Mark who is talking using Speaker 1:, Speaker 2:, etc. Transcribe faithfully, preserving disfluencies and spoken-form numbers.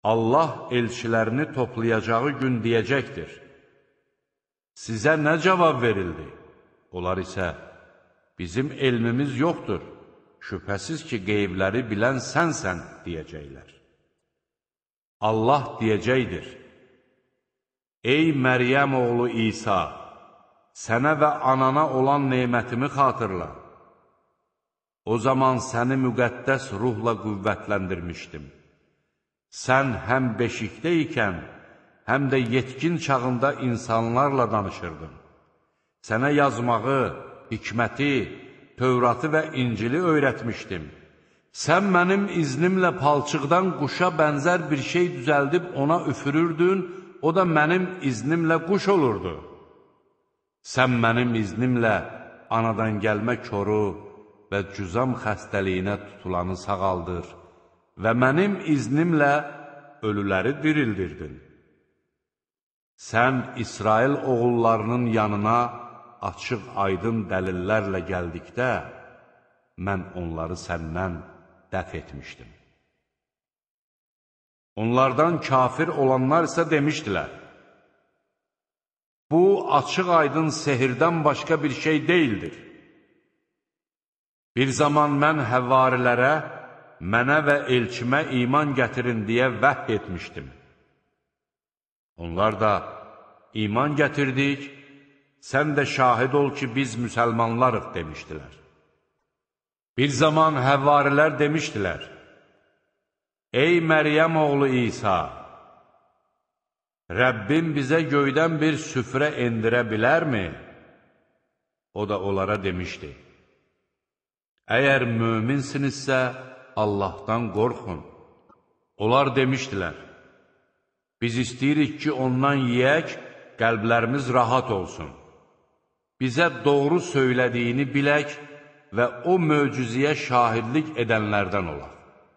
Speaker 1: Allah elçilərini toplayacağı gün deyəcəkdir: sizə nə cavab verildi? Onlar isə, bizim elmimiz yoxdur, şübhəsiz ki, qeybləri bilən sənsən, deyəcəklər. Allah deyəcəkdir: ey Məryəm oğlu İsa, sənə və anana olan nemətimi xatırla. O zaman səni müqəddəs ruhla qüvvətləndirmişdim. Sən həm beşikdə ikən, həm də yetkin çağında insanlarla danışırdın. Sənə yazmağı, hikməti, Tövratı və İncili öyrətmişdim. Sən mənim iznimlə palçıqdan quşa bənzər bir şey düzəldib ona üfürürdün, o da mənim iznimlə quş olurdu. Sən mənim iznimlə anadan gəlmə koru və cüzam xəstəliyinə tutulanı sağaldır və mənim iznimlə ölüləri dirildirdin. Sən İsrail oğullarının yanına açıq aydın dəlillərlə gəldikdə, mən onları səndən dəf etmişdim. Onlardan kafir olanlar isə demişdilər: bu, açıq aydın sehirdən başqa bir şey deyildir. Bir zaman mən həvarilərə, mənə və elçimə iman gətirin deyə vəhy etmişdim. Onlar da, iman gətirdik, sən də şahid ol ki, biz müsəlmanlarıq, demişdilər. Bir zaman həvvarilər demişdilər: ey Məryəm oğlu İsa, Rəbbim bizə göydən bir süfrə endirə bilərmi? O da onlara demişdi: əgər möminsinizsə, Allahdan qorxun. Onlar demişdilər: biz istəyirik ki, ondan yeyək, qəlblərimiz rahat olsun. Bizə doğru söylədiyini bilək və o möcüzəyə şahidlik edənlərdən olaq.